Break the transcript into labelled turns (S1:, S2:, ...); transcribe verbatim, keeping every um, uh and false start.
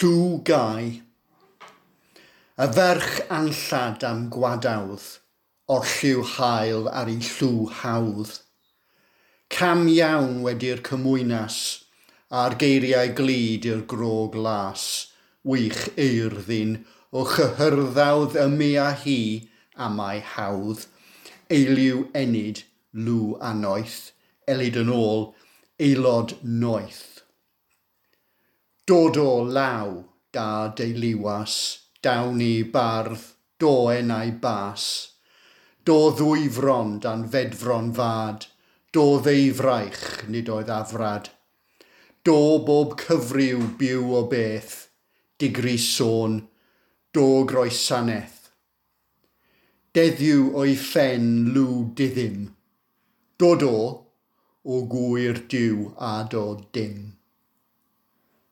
S1: Llw Gai. Y ferch anllad am gwadawdd, orlliw hael ar ei llw hawdd. Cam iawn wedi'r cymwynas, a'r geiriau glyd i'r grog las, wych eirddin o chyhyrddawdd ymi a hi am ei hawdd, eiliw enid lw annoeth, elid yn ôl, aelod noeth. Dod o law, da deuluwas, dawn i bardd, do enau bas. Do ddwy fron dan fedfron fad, do ddeufraich nid oedd afrad. Do bob cyfryw byw o beth, digri sôn, do groesaneth. Deddiw o'i phen lw diddim, do do, o gwyr Duw a do dim.